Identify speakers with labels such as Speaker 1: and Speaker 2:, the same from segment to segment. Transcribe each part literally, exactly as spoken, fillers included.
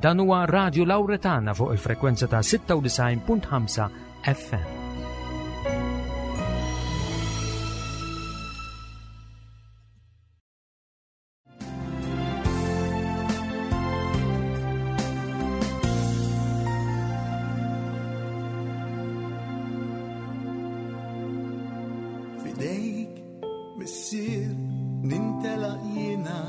Speaker 1: Dan huwa Radio Lauretana fuq il-frekwenza ta' sitta u disgħin punt ħamsa F M.
Speaker 2: F'idejk, Missier, nintelaq jiena.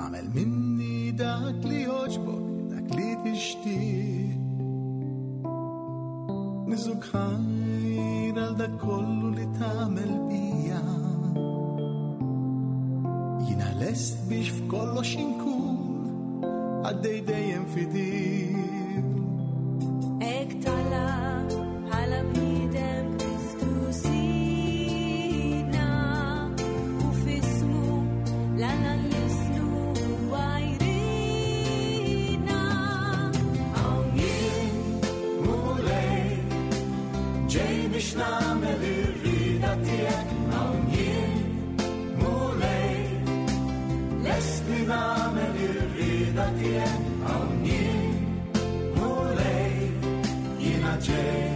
Speaker 2: Agħmel minni dak li jogħġbok, dak li tixtieq. Niżżuk ħajr għal dak kollu li tagħmel bija. Jiena lest biex f'kollox inkun għaddej dejjem fidil.
Speaker 3: Hekk talab bħala bniedem Kristu Sidna u f'ismu 'l Alla nlissnu huwa jridna.
Speaker 2: Hawn jien, Mulej, ġej biex nagħmel ir-rieda tiegħek. Hawn jien, Mulej, lest li nagħmel ir-rieda tiegħek. Hawn jien, Mulej, jiena ġej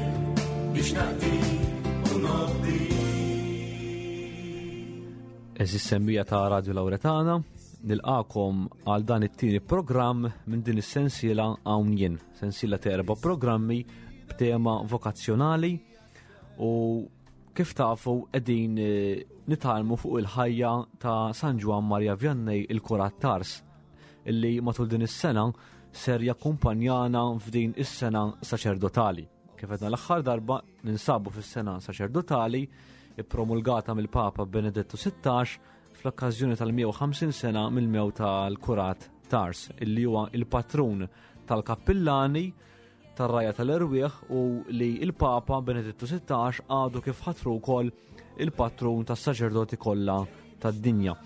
Speaker 2: biex naqdik u nobdik.
Speaker 4: Għeżież semmiegħa ta' Radio Lauretana, nilqagħkom għal dan it-tieni programm minn din is-sensiela Hawn Jien, sensiela ta' erba' programmi b'tema vokazzjonali u kif tafu qegħdin eh, nitgħallmu fuq il-ħajja ta' San Ġwann Maria Vianney, il-Kurat t'Ars, illi matul din is-sena ser jakkumpanjana f'din is-sena saċerdotali. Kif għedna l-aħħar darba, ninsabu fis-sena saċerdotali ippromulgata mill-Papa Benedettu Sittax fl-okkażjoni tal-mija u ħamsin sena mill-mewt tal-Kurat t'Ars, illi huwa il-patrun tal-kappillani, tar-rgħajja tal-erwieħ, u li il-Papa Benedettu Sittax għadu kif ħatru wkoll il-patrun tas-saċerdoti kollha tad-dinja.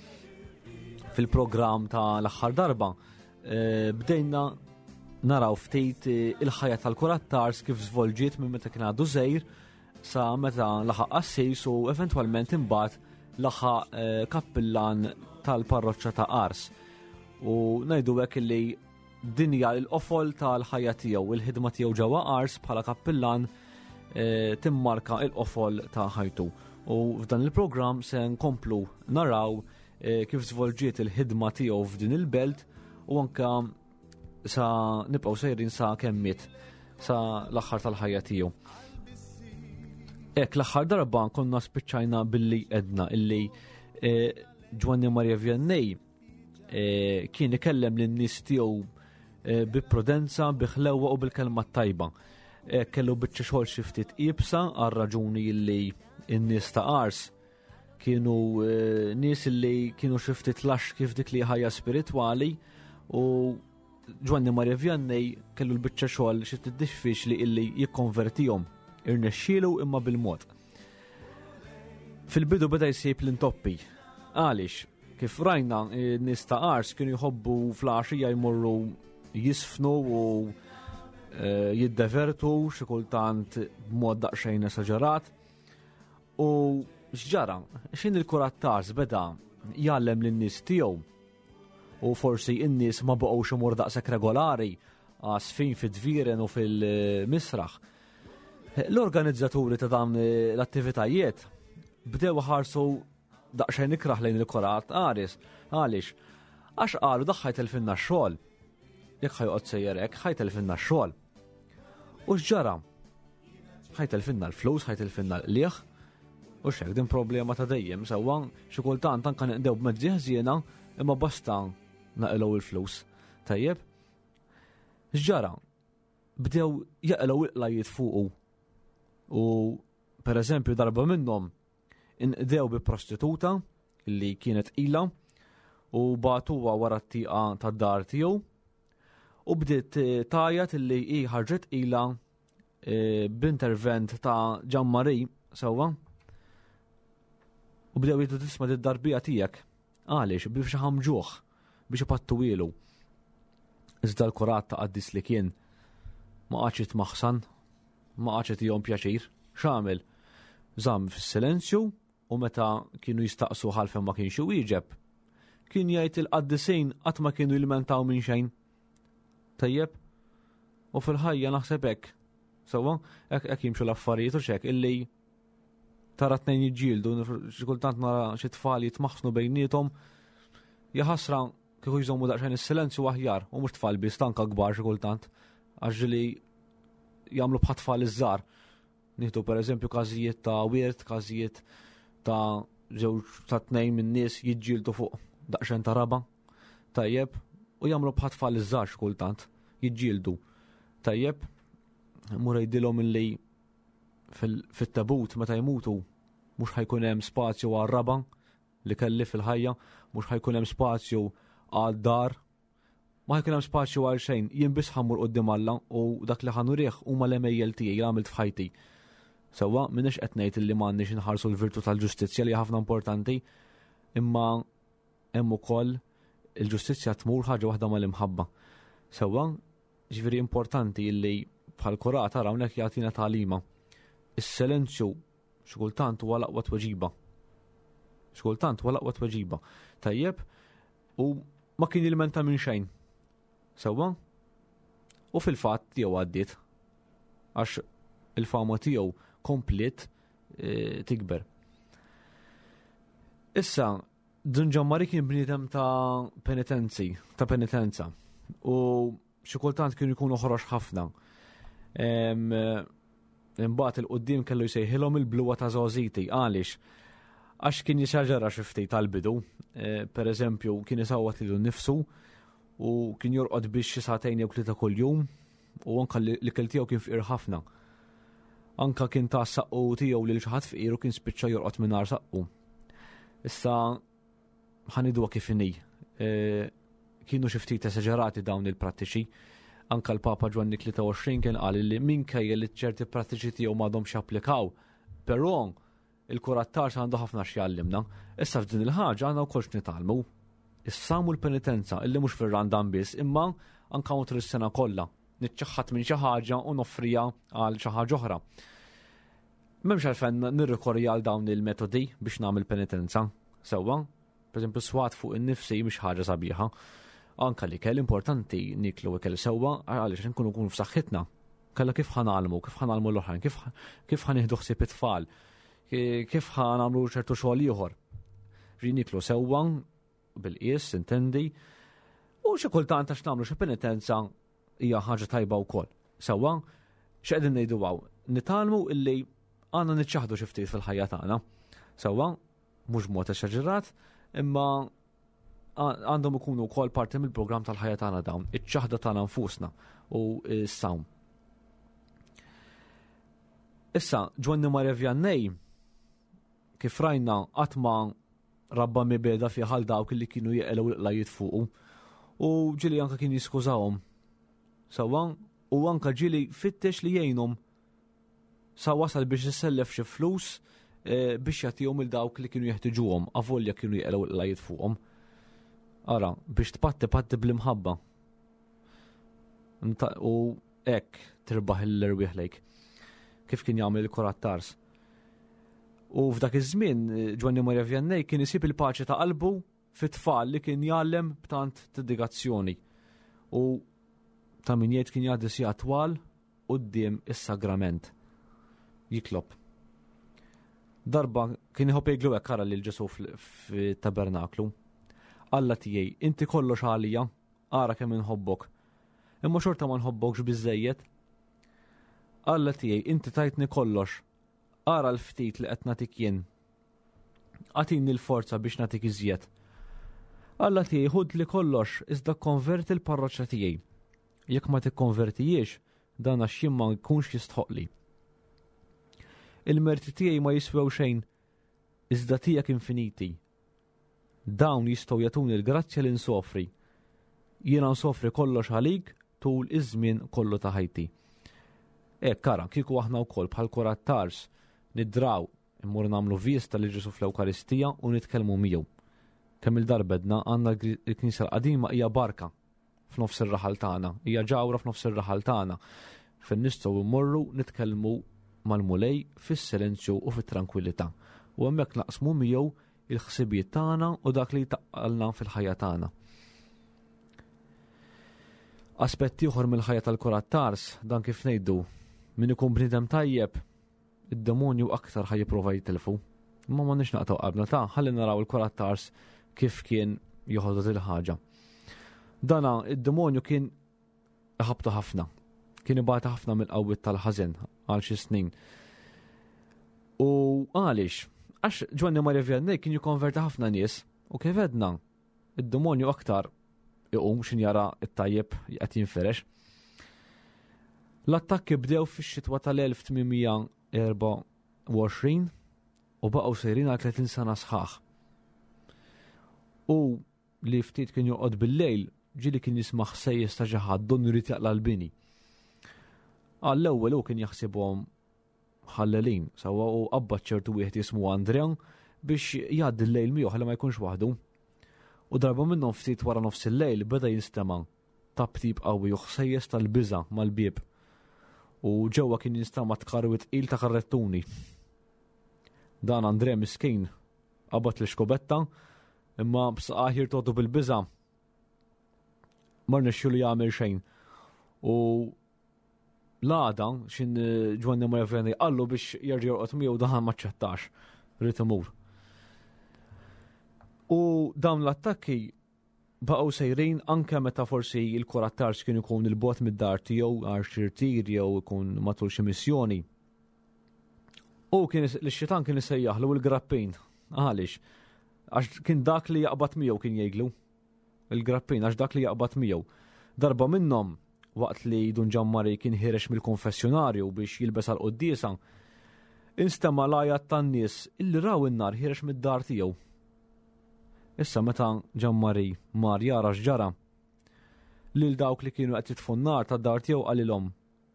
Speaker 4: Fil-programm ta' l-aħħar darba eh, bdejna naraw ftit eh, il-ħajja tal-Kurat t'Ars kif żvolġiet minn meta kien għadu żgħir sa meta laħaq qassis u eventwalment imbagħad laħaq eh, kappillan tal-parroċċa ta' Ars. U ngħidu hekk li din hija l-qofol tal-ħajja tiegħu, il-ħidma tiegħu ġewwa Ars bħala kappillan eh, timmarka il-qofol ta' ħajtu. U f'dan il-programm se nkomplu naraw eh, kif żvolġiet il-ħidma tiegħu f'din il-belt u anka sa nibqgħu sejrin sa kemm miet, sa l-aħħar tal-ħajja tiegħu. Hekk, l-aħħar darba konna spiċċajna billi għedna illi eh, Ġwanni Maria Vianney eh, kien ikellem lin-nies tiegħu eh, bi prudenza, bi ħlewwa u bil-kelma tajba. Eh, kellu biċċa xogħol xi ftit iebsa għal raġuni illi n-nies ta' Ars kienu eh, nies illi kienu xi ftit lax kif dik li ħajja spiritwali, u Ġwanni Maria Vianney kellu l-biċċa xogħol xi ftit diffiċli illi jikkonvertihom. Irnexxielu, imma bil-mod. Fil-bidu beda jsib l-intoppi. Għaliex, kif rajna, n-nies ta' Ars kienu jħobbu filgħaxija jmorru jiżfnu u eh, jiddevertu xi kultant b'mod daqsxejn esaġerat. U x'ġara? X'ħin il-Kurat t'Ars beda jgħallem lin-nies tiegħu u forsi n-nies ma baqgħux imur daqshekk regolari għas-żfin fid-dvieren u fil-misraħ. L-organizzaturi ta' dan l-attivitajiet bdew ħarsu daqsxejn ikraħ lejn il-Kurat t'Ars. Għaliex? Għax qalu, "Dak ħa jtellfilna x-xogħol. Jekk ħa joqgħod sejjer hekk, ħa jtellfilna x-xogħol." U x'ġara? Ħa jtellfilna l-flus, ħa jtellfilna l-qligħ. U xek din problema ta' dejjem, sewwa, xi kultant anka nqdew b'mezzi ħżiena, imma basta naqilgħu il-flus. Tajjeb? X'ġara? Bdew jaqilgħu il-qlajiet fuqu. U per eżempju darba minnhom inqdew bi prostituta li kienet tqila u bagħtuha wara t-tieqa tad-dar tiegħu u bdiet eh, tgħajjat illi hi ħarġet tqila eh, b'intervent ta' Ġammari, sewwa. U bdew jgħidu, "Tisma', d-darbija tiegħek." Għaliex? Biex ħamġuh, biex ipattuhielu. Iżda l-kurat, ta' qaddis li kien, ma qagħadx jitmaħsan, ma qagħadx jtihom pjaċir. X'għamel? Żamm fis-silenzju u meta kienu jistaqsu ħalfem ma kienx iwieġeb. Kien jgħid il-qaddisin qatt ma kienu jilmentaw minn xejn. Tajjeb? U fil-ħajja naħseb hekk. Sewwa, hekk hekk jimxu l-affarijiet u xek illi tara tnejn jiġġieldu, xi kultant nara xi tfal jitmaħsnu bejniethom. Jaħasra kieku jżommu daqsxejn is-silenzju aħjar, u mhux tfal biss, anka kbar xi kultant, għax li jagħmlu bħat tfal iż-żgħar. Nieħdu pereżempju każijiet ta' wirt, każijiet ta' żewġ ta' tnejn minn nies jiġġieldu fuq daqsxejn ta' raba. Tajjeb, u jagħmlu bħat tfal iż-żgħar xi kultant, jiġġieldu. Tajjeb, mur jgħidilhom illi fit-tabut meta jmutu mhux ħa jkun hemm spazju għar-raba li kelli fil-ħajja, mhux ħa jkun hemm spazju għad-dar, ma ħa jkun hemm spazju għal xejn, jien biss ħa mmur quddiem Alla u dak li ħa nurih huma l-għemejjel tiegħi li għamilt f'ħajti. Sewwa, m'iniex qed ngħid illi m'għandniex inħarsu l-virtu tal-ġustizzja li ħafna importanti, imma hemm ukoll il-ġustizzja tmur ħaġa waħda mal-imħabba. Sewwa, ġifieri importanti illi bħal kurata hawnhekk jagħtina tagħlima. Is-silenzju xi kultant huwa l-aqwa tweġiba. Xi kultant huwa l-aqwa tweġiba. Tajjeb, u ma kien jilmenta minn xejn. Sewwa? U fil-fatt tiegħu għaddiet. Għax il-fama tiegħu kompliet e, tikber. Issa, Dun Ġammari kien bniedem ta' penitenzi, ta' penitenza. U xi kultant kienu jkunu ħorox ħafna. Imbagħad il-qudiem kellu jsejħilhom il-bluwa ta' żgħożiti. Għaliex? Għax kien jisaġera xi ftit tal-bidu. E, per eżempju, kien isawwat lilu nnifsu u kien jorqod biex xi sagħtejn jew tlieta kuljum u anka l-ikel tiegħu kien fqir ħafna. Anka kien ta' saqqu tiegħu lil xi ħadd fqir u kien spiċċa jorqod mingħajr saqqu. Issa ħa ngħiduha kif inhi. E, kienu xi ftit esaġerati dawn il-prattiċi. Anka l-Papa Ġwanni tlieta u għoxrin kien qal li minkejja li ċerti prattiċi tiegħu m'għadhomx japplikaw, però il-kurat t'Ars għandu ħafna x'jgħallimna. Issa f'din il-ħaġa għandna wkoll x'nitgħallmu. Is-sawm u l-penitenza illi mhux fir-Randan biss, imma anka matul is-sena kollha. Niċċaħħad minn xi ħaġa u noffrija għal xi ħaġa oħra. M'hemmx għalfejn nirrikorri għal dawn il-metodi biex nagħmel penitenza. Sewwa, per eżempju, swat fuq in-nifsi mhix ħaġa sabiħa. Anka li kell importanti niklu ikel sewwa għaliex nkunu nkunu f'saħħitna. Kalla kif ħa nagħmlu, kif ħa nagħmlu l-oħrajn, kif, kif ħa nieħdu ħsieb it-tfal, kif ħa nagħmlu ċertu xogħol ieħor. Ġi niklu sewwa bil-qies, intendi, u xi kultant għax nagħmlu xi penitenza hija ħaġa tajba wkoll. Sewwa, x'qegħdin ngħidu hawn? Nitgħallmu illi għandna niċċaħdu xi ftit fil-ħajja tagħna. Sewwa, mhux b'mod esaġerat, imma għandhom ikunu wkoll parti mill-programm tal-ħajja tagħna dawn, iċ-ċaħda tagħna nfusna u s-sawm. Issa, Ġwanni Maria Vianney, kif rajna, qatt ma rabba mibeda fi ħal dawk li kienu jeqelgħu l-qlajiet fuqu u ġieli anka kien jiskużahom. Sewwa, u anka ġieli fittex li jgħinhom sa wasal biex isellef xi flus, eh, biex jagħtihom il dawk li kienu jeħtiġuhom, avolja kienu jeqelgħu l-qlajiet fuqhom. Ara, biex tpatti patti bl-imħabba. Nta-, u hekk tirbaħ l-erwieħ lejk. Kif kien jagħmel il-kurat t'Ars. U f'dak iż-żmien Ġwanni Maria Vianney kien isib il-paċi ta' qalbu fit-tfal li kien jgħallem b'tant dedikazzjoni. U ta' min jgħid kien jgħaddi sigħat twal quddiem is-sagrament. Jitlob. Darba kien iħobb jgħidlu hekk ara lil Ġesu fl-, fit-tabernaklu. Alla tiegħi, inti kollox għalija, ara kemm inħobbok. Imma xorta ma nħobbokx biżejjed. Alla tiegħi, inti tajtni kollox. Ara l-ftit li qed nagħtik jien. Agħtini l-forza biex nagħtik iżjed. Alla tiegħi, ħud li kollox, iżda konverti l-parroċċa tiegħi. Jekk ma tikkonvertijiex, dan għax jien ma nkunx jistħoqli. Il-merti tiegħi ma jiswew xejn, iżda tiegħek infiniti. Dawn jistgħu jagħtuni l-grazzja li nsofri. Jiena nsofri kollox għalik tul iż-żmien kollu ta' ħajti. Hekk ara, kieku aħna wkoll bħal kurat t'Ars nidraw immur nagħmlu vista li Ġesu fl-Ewkaristija u nitkellmu miegħu. Kemm il-darbedna għandna l-Knisja l-qadima hija barka f'nofs ir-raħal tagħna, hija ġawra f'nofs ir-raħal tagħna. Fejn nistgħu mmorru nitkellmu mal-Mulej fis-silenzju u fit-tranquillità. U hemmhekk naqsmu miegħu il-ħsibijiet tagħna u dak li taqqalna fil-ħajja tagħna. Aspett ieħor mill-ħajja tal-Kurat Tars, dan kif ngħidu, min ikun bniedem tajjeb, id-demonju aktar ħaj jipprova jitilfu. Imma ma nix naqtaw qalbna ta' ħalli naraw il-Kurat Tars kif kien joħodha il-ħaġa. Dana id-demonju kien ħabtu ħafna. Kien ibata ħafna mill-qawwiet tal-ħażen għal xi snin. U għaliex? Għax Ġwanni Maria Vianney kien jikkonverti ħafna nies u kif edna, id-demonju aktar iqum xin jara it-tajjeb qed jinferex. L-attakki bdew fix-xitwa tal-elf tmien mija erba' u għoxrin u baqgħu sejrin għal tletin sena sħaħ. U li ftit kien joqgħod bil-lejl, ġieli kien jisma' ħsejjes ta' xi ħadd donnu jrid jaqla' l-bini. Għall-ewwel hu kien jaħsibhom ħallelin, sewwa u qabbad ċertu wieħed jismu Andrea biex jgħaddi l-lejl miegħu ħalli ma jkunx waħdu. U darba minnhom ftit wara nofs il-lejl beda jinstema' tabtib qawwi u ħsejjes tal-biża' mal-bieb. U ġewwa kien jinstema' tkarwi tqil ta' karrettuni. Dan Andrea miskin qabad l-iskobetta imma b'saqajh jirtodu bil-biża' ma rnexxielu jagħmel xejn. U l-għada xin Ġwanni Maria Vianney qallu biex jerġa' jorqod miegħu daħal ma ċċettax, ried imur. U dawn l-attakki baqgħu sejrin anke meta forsi il-Kurat Tars kien ikun il-bogħod mid-dar tiegħu għal xi rtir jew ikun matul xi missjoni. U kien is-, l-xitan kien isejjaħlu l-grappin. Għaliex? Għax kien dak li jaqbad miegħu kien jgħidlu. Il-grappin għax dak li jaqbad miegħu. Darba minnhom waqt li Dun Ġammari kien ħirex mill-konfessjonarju biex jilbes għal-quddiesa, instema' l-għajat tan-nies illi raw in-nar ħirex mid-dar tiegħu. Issa meta Ġammari mar jara x'ġara, lil dawk li kienu qed jitfu n-nar tad-dar tiegħu qalilhom,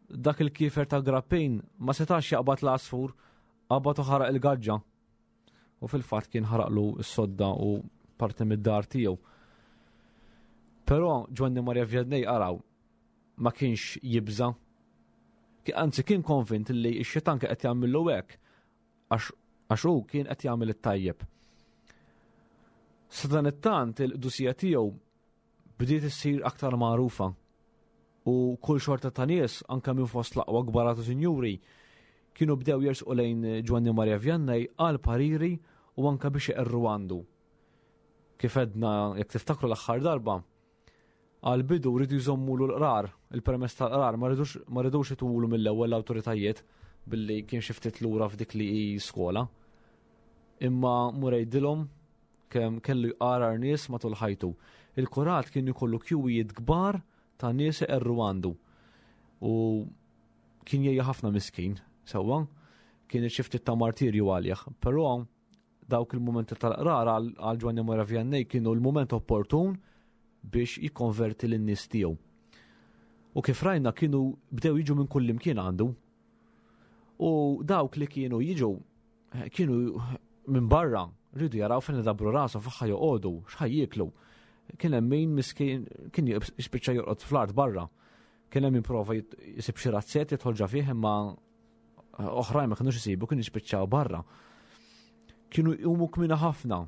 Speaker 4: dak il-kiefer ta' grappin ma setax jaqbad l-għasfur, qabad u ħaraq il-gaġġa. U fil-fatt kien ħaraqlu s-sodda u parti mid-dar tiegħu. Però Ġwanni Maria Vianney araw ma kienx jibża. Ki-, anzi kien konvint li x-xitan kien qed jagħmillu hekk għax, għax hu kien qed jagħmel it-tajjeb. Sadanittant il-qdusija tiegħu bdiet issir aktar magħrufa u kull xorta ta' nies anke minn fost l-aqwa kbarat u sinjuri kienu bdew jersqu lejn Ġwanni Maria Vianney għal pariri u anke biex iqerru għandu. Kif edna jekk tiftakru l-aħħar darba, għal-bidu rridu jżommulu l-qrar, il-permess tal-qrar, ma rridux, ma rridux itulu mill-ewwel l-awtoritajiet billi kien xi ftit lura f'dik li hi skola. Imma murejdilhom kemm kellu jqarar nies matul ħajtu. Il-kurat kien ikollu kjuwijiet kbar ta' nies iqerru għandu. U kien jgħejja ħafna miskin, sewwa, kien xi ftit ta' martirju għalih, però dawk il-mumenti tal-qrar għal, għal Ġwanni Maria Vianney kienu l-mument opportun biex jikkonverti lin-nies tiegħu. U kif rajna kienu bdew jiġu minn kull imkien għandu. U dawk li kienu jiġu kienu minn barra rridu jaraw fejn idabru rashom f'ħa joqogħdu, x'ħaj jieklu. Kien hemm min miskin kien jispiċċa jorqod fl-art barra. Kien hemm min prova jit-, jisib xi razzett jidħol ġa fih imma oħrajn ma kinux isibu, kienu jispiċċaw barra. Kienu jqumu kmina ħafna,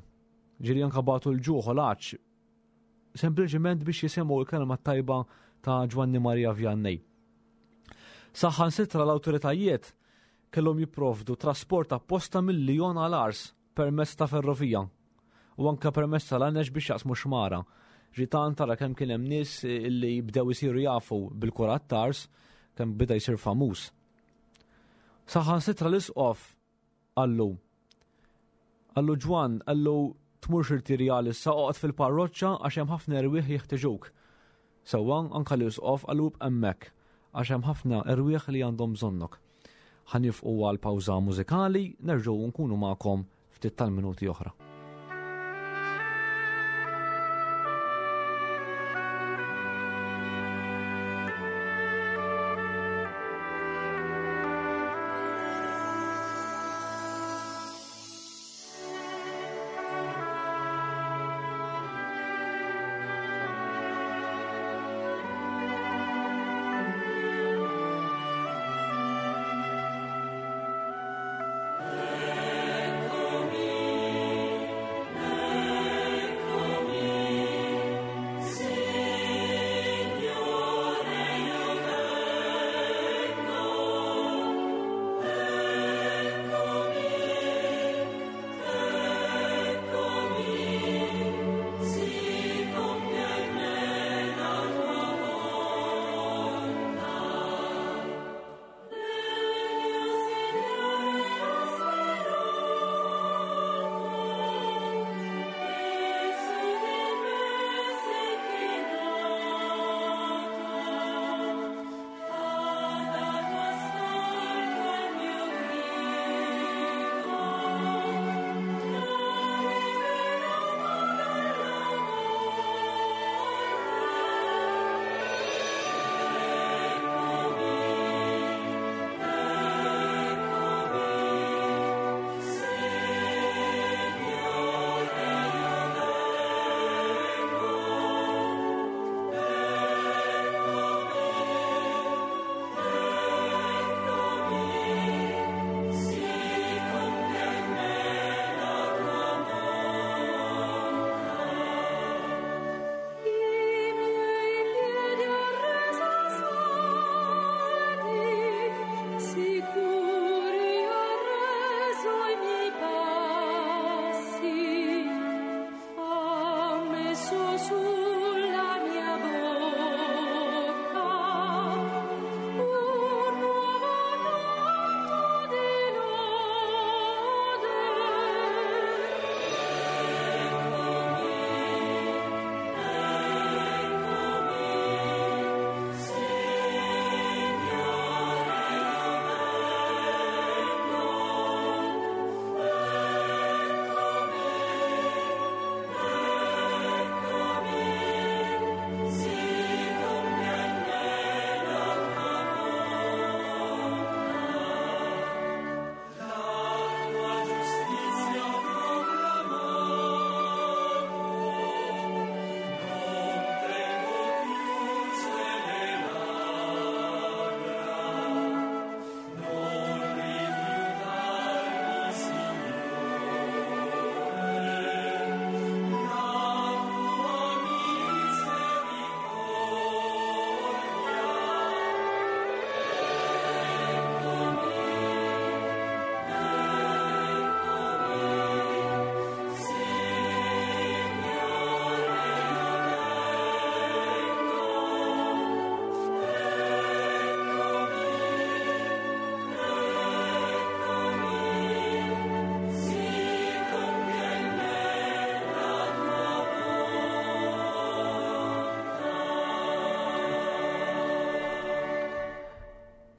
Speaker 4: ġieli anke bagħtu l-ġuħ u l-għatx, sempliċement biex jisimgħu l-kelma tajba ta' Ġwanni Maria Vianney. Saħansitra l-awtoritajiet kellhom jipprovdu trasport apposta mill-Lyon għal Ars permezz ta' ferrovija u anke permezz tal-għanex biex jaqsmu xmara. Ġitan tara kemm kien hemm nies li bdew isiru jafu bil-Kurat Tars, kemm beda jsir famuż. Saħansitra l-isqof qallu, qallu Ġwann, qallu tmurx irtirjal issa, oqgħod fil-parroċċa għax hemm ħafna erwieħ jeħtieġuk. Sewwa anke l-isqof qallu hemmhekk għax hemm ħafna erwieħ li għandhom bżonnok. Ħa nifqu għal pawża mużikali, nerġgħu nkunu magħkom ftit tal-minuti oħra.
Speaker 3: Eccomi.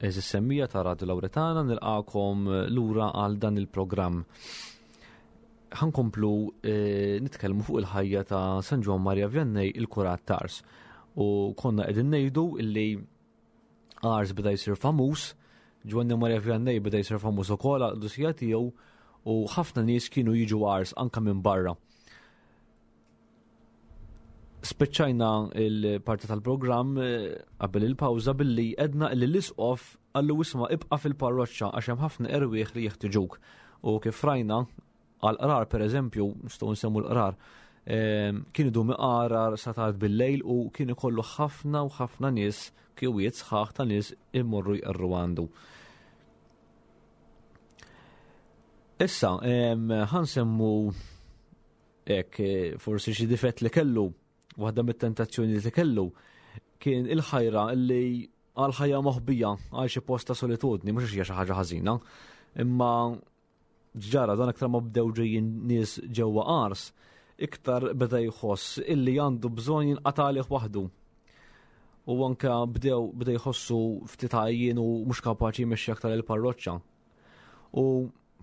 Speaker 4: Eżis semmija ta' Radio Lauretana, nilqakom lura għal dan il-programm. Ħankomplu eh, nitkellmu fuq il-ħajja ta' San Ġwann Maria Vianney, il-Kurat t'Ars. U konna qegħdin ngħidu illi Ars beda jsir famuż, Ġwanni Maria Vianney beda jsir famuż ukoll għal qdusija tiegħu u ħafna nies kienu jiġu Ars anka minn barra. Speċċajna il-parti tal-programm eh, qabel il-pawża billi edna li l-isqof qallu isma' ibqa' fil-parroċċa għax hemm ħafna erwieħ li jeħtiġuk. U kif rajna għal-qrar per eżempju, nistgħu nsemmu l-qrar, ehm, kien idum iqarar sa tard bil-lejl u kien ikollu ħafna u ħafna nies, kwiet sħaħ ta' nies imorru jqerru għandu. Issa, ehm, ħansemmu hekk, eh, forsi xi difett li kellu. Waħda mit-tentazzjoni li kellu kien il-ħajra li għal ħajja moħbija għal xi post ta' solitudni, mhux hija xi ħaġa ħażina, imma ġara dan aktar ma bdew ġejjin nies ġewwa Ars, iktar beda jħoss illi għandu bżonn jinqata' għalih waħdu. U anke bdew beda jħossu ftit għajjien u mhux kapaċi jmexxi aktar il-parroċċa. U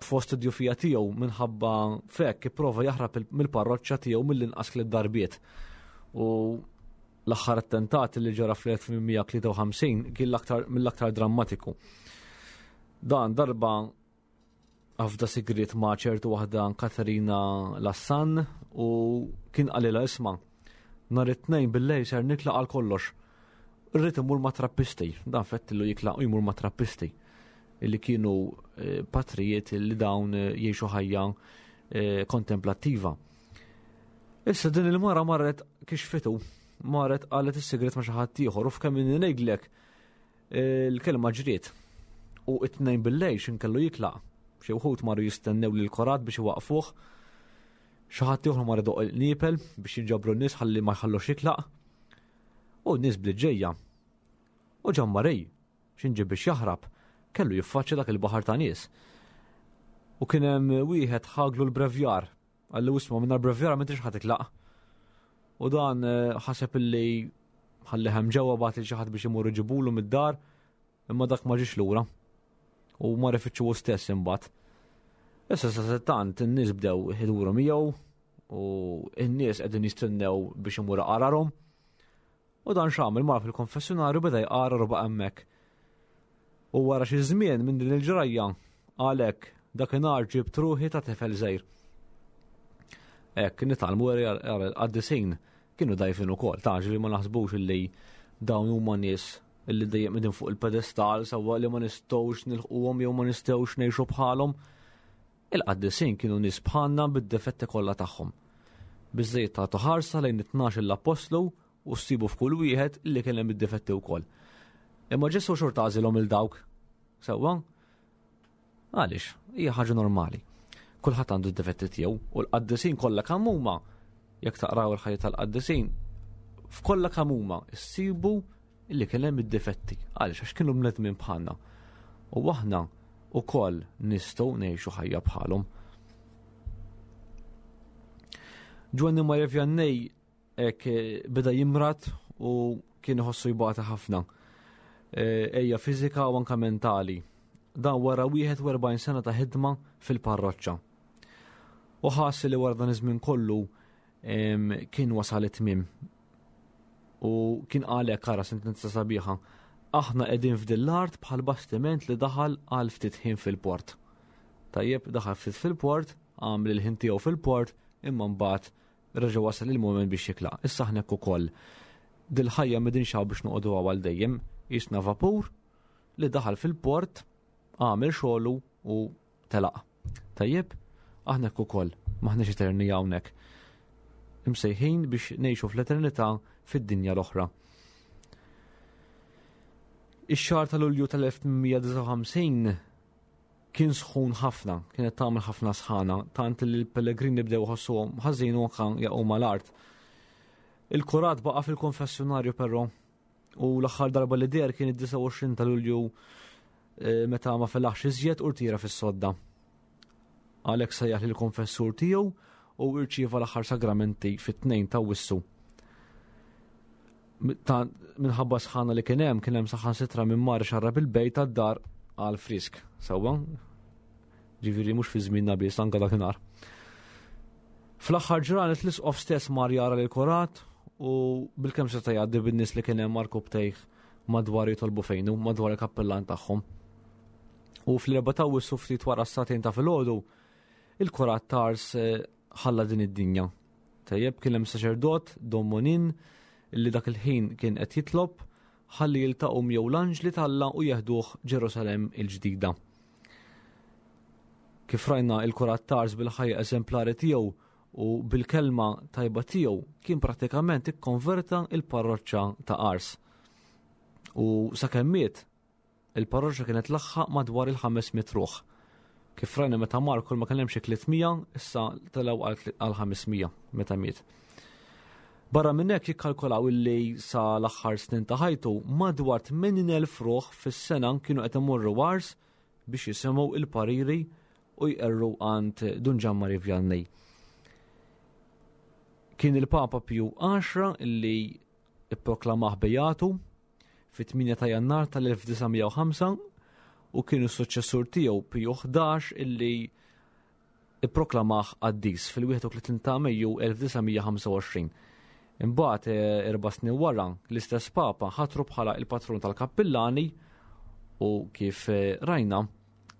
Speaker 4: fost id-djufija tiegħu minħabba fekk ipprova jaħrab il-, mill-parroċċa tiegħu mill-inqas tliet darbiet. U l-aħħar attentat li ġara fl-elf tmien mija tlieta u ħamsin kien l-aktar, mill-aktar drammatiku. Dan darba għafda sigriet ma' ċertu waħda Katerina Lassan u kien qalilha isma' nhar it-tnejn bil-lejl ser nitlaq għal kollox. Irrid imur ma' trappisti, dan fettillu jitlaq u jmur ma' trappisti illi kienu, eh, patrijiet li dawn, eh, jgħixu ħajja, eh, kontemplattiva. Issa din il-mara marret kixfitu, marret qalet is-sigret ma' xi ħadd ieħor u f'kemm inni ngħidlek, eh, l-kelma ġriet. U it-tnejn bil-lejl x'in kellu jitlaq. Xi wħud marru jistennew lil korat biex iwaqfuh. Xi ħadd ieħor mar idoq il-qniepel biex jinġabru n-nies ħalli ma jħallux jitlaq. U n-nies bdiet ġejja. U Ġanmarej, x'in ġie biex jaħrab, kellu jiffaċċja dak il-baħar ta' nies. U kien hemm wieħed ħaglu l-brevjar. Qallu isma' minn l-brevjar m'intix ħa titlaq. U dan, eh, ħaseb illi ħalli hemm ġewwa bagħat lil xi ħadd biex imur iġibulu mid-dar, imma dak ma ġiex lura. U mar ifittxu hu stess imbagħad. Issa sa tant in-nies bdew iduru miegħu u n-nies qegħdin jistennew biex imur qararhom. U dan x'għamel mar fil-konfessjonarju beda jqarar u baqa' hemmhekk. U wara xi żmien minn din il-ġrajja għalhekk dakinhar ġibt ruħi ta' tifel żgħir. Hekk nitgħallmu l-qaddisin kienu dajfin ukoll, ta' ġifieri ma naħsbux illi dawn huma nies illi dejjem qegħdin fuq il-pedestal sewwa li ma nistgħux nilħquhom jew ma nistgħux ngħixu bħalhom. Il-qaddisin kienu nies bħalna bid-difetti kollha tagħhom. Biżżejjed tagħtu ħarsa lejn it-tnax l-appostlu u ssibu f'kull wieħed illi kien hemm id-difetti wkoll. Imma Ġesù xorta għażilhom il dawk. Sewwa? Għaliex? Hija ħaġa normali. Kulħadd għandu d-difetti tiegħu u l-qaddisin kollha kemm huma, jekk taqraw il-ħajja tal-qaddisin, f'kollha kemm huma ssibu illi kien hemm id-difetti. Għaliex? Għax kienu bnedmin bħalna. U aħna wkoll nistgħu ngħixu ħajja bħalhom. Ġwanni Maria Vianney hekk beda jimrad u kien iħossu jbata ħafna. E, ejja fiżika u anke mentali. Dan wara wieħed u erbgħin sena ta' ħidma fil-parroċċa. U ħass li wara dan iż-żmien kollu, em, kien wasal it-tmiem. U kien għalhekk ara sentenza sabiħa. Aħna qegħdin f'din l-art bħal bastiment li daħal għal ftit ħin fil-port. Tajjeb, daħal ftit fil-port, għamel il-ħin tiegħu fil-port, imma mbagħad reġa' wasal il-mument biex jitlaq. Issa aħna hekk ukoll. Dil-ħajja m'qegħdin xaw biex noqogħdu għal dejjem, jisna vapur li daħal fil-port, għamel xogħlu u telaq. Tajjeb, aħna hekk ukoll, m'aħniex eterni hawnhekk. Imsejħin biex ngħixu fl-eternità fid-dinja l-oħra. Ix-xahar ta' Lulju tal-elf tmien mija disgħa u ħamsin kien sħun ħafna, kienet tagħmel ħafna sħana, tant li l-pellegrini bdew iħossuhom ħażin u anke jaqgħu mal-art. Il-kurat baqa' fil-konfessjonarju però, u l-aħħar darba li deher kien id-disgħa u għoxrin ta' Lulju, eh, meta ma felaħx iżjed u rtira fis-sodda. Għalhekk sejjaħ lill-konfessur tiegħu u rċieva l-aħħar sagramenti fit-tnejn ta' Wissu. Minħabba sħana li kien hemm, kien hemm saħansitra minn mar xarrab il-bejt tad-dar għal frisk, sewwa? Ġifieri mhux fi żmienna biss, anke dakinhar. Fl-aħħar ġranet l-isqof stess mar jara lil kurat u bilkemm seta' jgħaddi bin-nies li kien hemm għarkupptejh madwar jitolbu fejnu, madwar il-kappellan tagħhom. U fl-erba' ta' Awwissu ftit wara s-sagħtejn ta' filgħodu, il-kurat t'Ars ħalla din id-dinja. Tajjeb, kien hemm saċerdot, Dom Monin, li dak il-ħin kien qed jitlob ħalli jiltaqgħu miegħu l-anġli t'Alla u jeħduh Ġerusalemm il-ġdida. Kif rajna, il-kurat t'Ars bil-ħajja eżemplari tiegħu u bil-kelma tajba tiegħu kien pratikament ikkonverta il-parroċċa ta' Ars. U sakemm miet, il-parroċċa kienet laħħaq madwar il-ħames mitt ruħ. Kif rajna meta mar kull ma kien hemm xi tliet mija, issa telgħu għal ħames mija meta miet. Barra minn hekk jikkalkulaw illi sa l-aħħar snin ta' ħajtu madwar tmenin elf ruħ fis-sena kienu qed imorru Ars biex jisimgħu il-pariri u jqerru għand Dun Ġammari Vianney. Kien il-Papa Pju għaxra illi ipproklamah bejatu fit-tmienja ta' Jannar tal-elf disa' mija u ħamsa u kienu s-suċċessur tiegħu Pju ħdax illi ipproklamah qaddis fil-wieħed u tletin ta' Mejju elf disa' mija ħamsa u għoxrin. Imbagħad, eh, erba' snin wara l-istess Papa ħatru bħala il-patrun tal-kappillani u kif, eh, rajna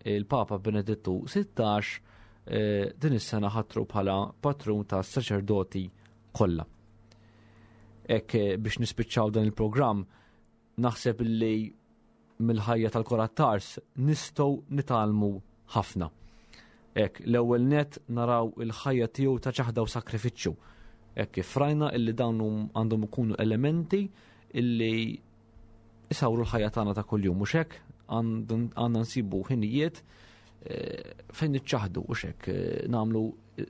Speaker 4: il-Papa Benedittu sittax, eh, din is-sena ħatru bħala patrun tas-saċerdoti kollha. Hekk, eh, biex nispiċċaw dan il-programm, naħseb li mill-ħajja tal-Kurat t'Ars nistgħu nitgħallmu ħafna. Hekk l-ewwel net naraw il-ħajja tiegħu ta' ċaħda u sakrifiċċju. Hekk kif rajna illi dawn hum-, għandhom ikunu elementi illi isawru l-ħajja tagħna ta' kuljum, mhux hekk għandhom, għandna nsibu ħinijiet, eh, fejn niċċaħdu, mhux hekk, eh, nagħmlu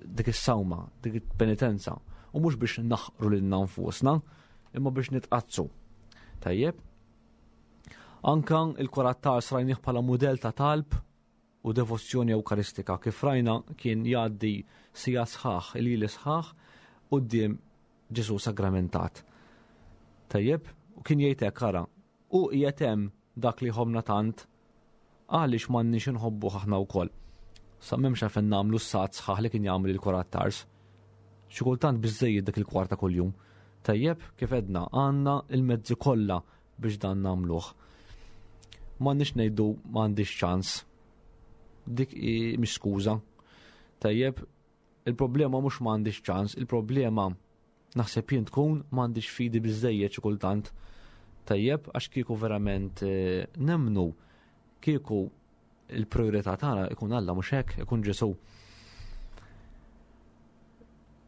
Speaker 4: dik is-sawma, dik il-penitenza, u mhux biex naħqru lilna nfusna, imma biex nitqazzu. Tajjeb. Anka il-Kurat t'Ars rajnih bħala mudell ta' talb u devozzjoni ewkaristika, kif rajna kien jgħaddi sija sħaħ, il-lili sħaħ quddiem Ġesu sagramentat. Tajjeb, u kien jgħid hekk, ara, u qiegħed hemm dak li ħobna tant, għaliex m'għandniex inħobbuh aħna wkoll. Sa m'hemmx għalfejn nagħmlu s-sat sħaħ li kien jagħmel il-Kurat t'Ars. Xi kultant biżżejjed dak il-kwarta kuljum. Tajjeb, kif edna, għandna il-mezzi kollha biex dan nagħmluh. M'għandniex ngħidu m'għandix ċans. Dik hi mhix skuża. Tajjeb, il-problema mhux m'għandix ċans, il-problema naħseb jien tkun m'għandix fidi biżżejjed xi kultant. Tajjeb, għax kieku verament, eh, nemnu, kieku il-priorità tagħna ikun Alla, mhux hekk, ikun Ġesu.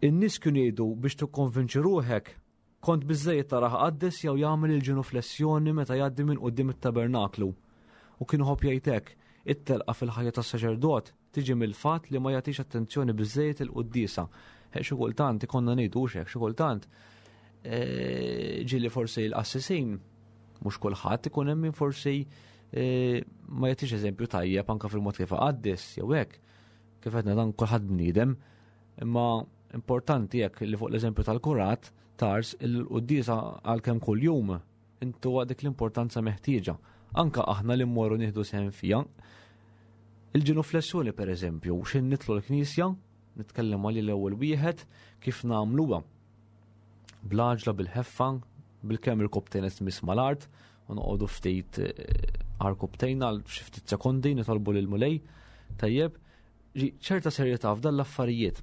Speaker 4: In-nies kienu jgħidu biex tikkonvinċi ruħek kont biżżejjed taraħ qaddis jew jagħmel il-ġenuflessjoni meta jgħaddi minn quddiem it-tabernaklu. U kienu ħobb jgħid hekk, it-telqa fil-ħajja tas-saċerdot tiġi mill-fatt li ma jagħtix attenzjoni biżżejjed il-quddiesa. Hekk xi kultant ikonna ngħidu hekk, xi kultant, eh, ġieli forsi l-qassisin, mhux kulħadd ikun hemm min forsi, eh, ma jagħtix eżempju tajjeb anke fil-mod kif qaddis jew hekk. Kif għedna dan kulħadd bniedem, imma importanti hekk li fuq l-eżempju tal-kurat tars il-quddiesa għalkemm kuljum intu dik l-importanza meħtieġa. Anka aħna li mmorru nieħdu sehem fiha. Il-ġenuflessjoni per eżempju, x'in nitlu l-knisja, nitkellem għal l-ewwel wieħed kif nagħmluha. Bl-għaġla, bil-ħeffa, bil-kemm il-koptejn tmiss mal-art, u noqogħdu ftit, eh, għal koptejn għal xi ftit sekondi nitolbu lil Mulej. Tajjeb, ġi ċerta serjetà f'dan l-affarijiet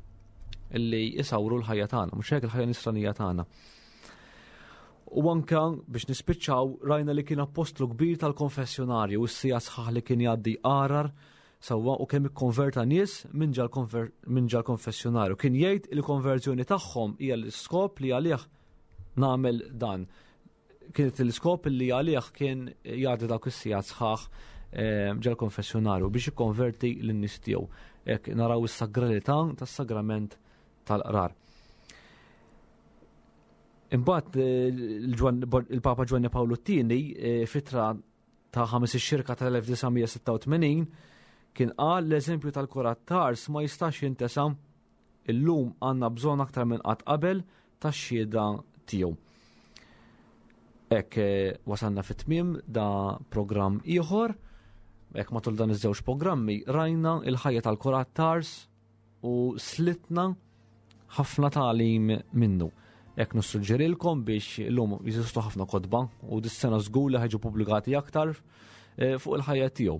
Speaker 4: illi jisawru l-ħajja tagħna, mhux hekk il-ħajja nisranija tagħna. U anka biex nispiċċaw rajna li kien apostlu kbir tal-konfessjonarju u s-sija sħaħ li kien jgħaddi qarar sewwa u kemm ikkonverta nies minn ġal konver-, minn ġal konfessjonarju. Kien jgħid il-konverżjoni tagħhom hija l-iskop li għalih nagħmel dan. Kienet l-iskop li għalih kien jgħaddi dawk is-sija sħaħ, eh, ġal konfessjonarju biex ikkonverti lin-nies tiegħu. Hekk naraw is-sagralità tas-sagrament tal-qrar. Imbagħad, eh, il-Ġwan-, il-Papa Ġwanni Pawlu t-tieni, eh, fitra ta' ħames ix-xirka tal-elf disa' mija sitta u tmenin kien qal l-eżempju tal-kurat t'Ars ma jistax jintesa, illum għandna bżonn aktar minn qatt qabel tax-xhieda tiegħu. Hekk eh, wasalna fit-tmiem da programm ieħor. Hekk matul dan iż-żewġ programmi rajna il-ħajja tal-Kurat Tars u slitna ħafna tagħlim minnu. Hekk nissuġġerilkom biex illum jeżistu ħafna kotba u dis-sena żgur li ħa jiġu pubblikati aktar eh, fuq il-ħajja tiegħu.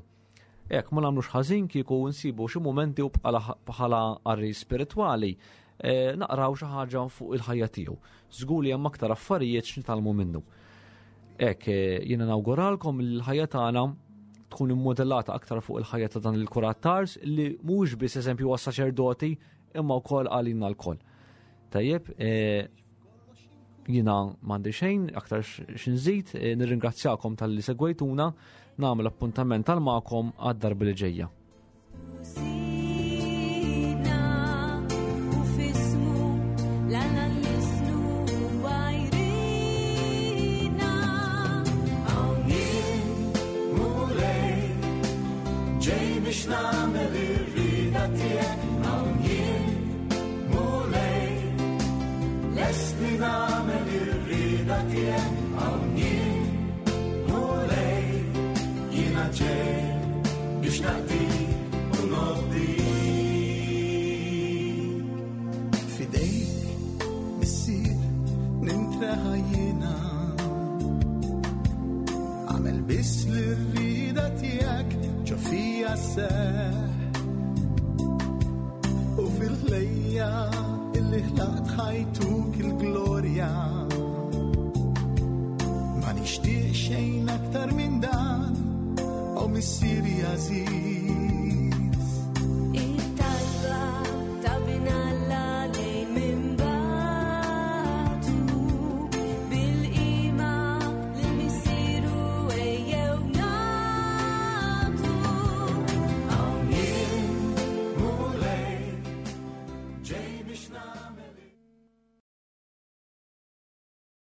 Speaker 4: Hekk ma nagħmlux ħażin kieku nsibu xi mumenti u bħala qari spiritwali eh, naqraw xi ħaġa fuq il-ħajja tiegħu. Żgur li hemm aktar affarijiet x'nitgħallmu minnu. Hekk eh, jiena nawguralkom il-ħajja tagħna tkun immodellata aktar fuq il-ħajja ta' dan il-Kurat Tars li mhux biss eżempju għas-saċerdoti imma wkoll għalina lkoll. Tajjeb, eh, jiena m'għandi xejn aktar x'inżid, eh, nirringrazzjakom talli segwejtuna, nagħmel appuntament tal magħkom għad-darba li ġejja.
Speaker 3: Sidna u f'ismu l-Alla nlissnu huwa jridna.
Speaker 2: Hawn jien, Mulej, ġej biex nagħmel ir-rieda tiegħek. Hawn jien, Mulej, lest li nagħmel ir-rieda tiegħek. Hawn jien, Mulej, jiena ġej biex naqdik u nobdik. F'idejk, Missier, nintreħa jiena. Agħmel biss li r-rieda tiegħek ġo fija sseħħ. U fil-ħlejja illi ħlaqt ħa jtuk il-glorja. Ma nixtieq xejn aktar minn dan, o Missieri għażiż.
Speaker 3: It-talba ta' Bin Alla lejn min bagħtu bil-qima lil Missieru ejjew nagħtu.
Speaker 2: Hawn jien, Mulej, ġej biex nagħmel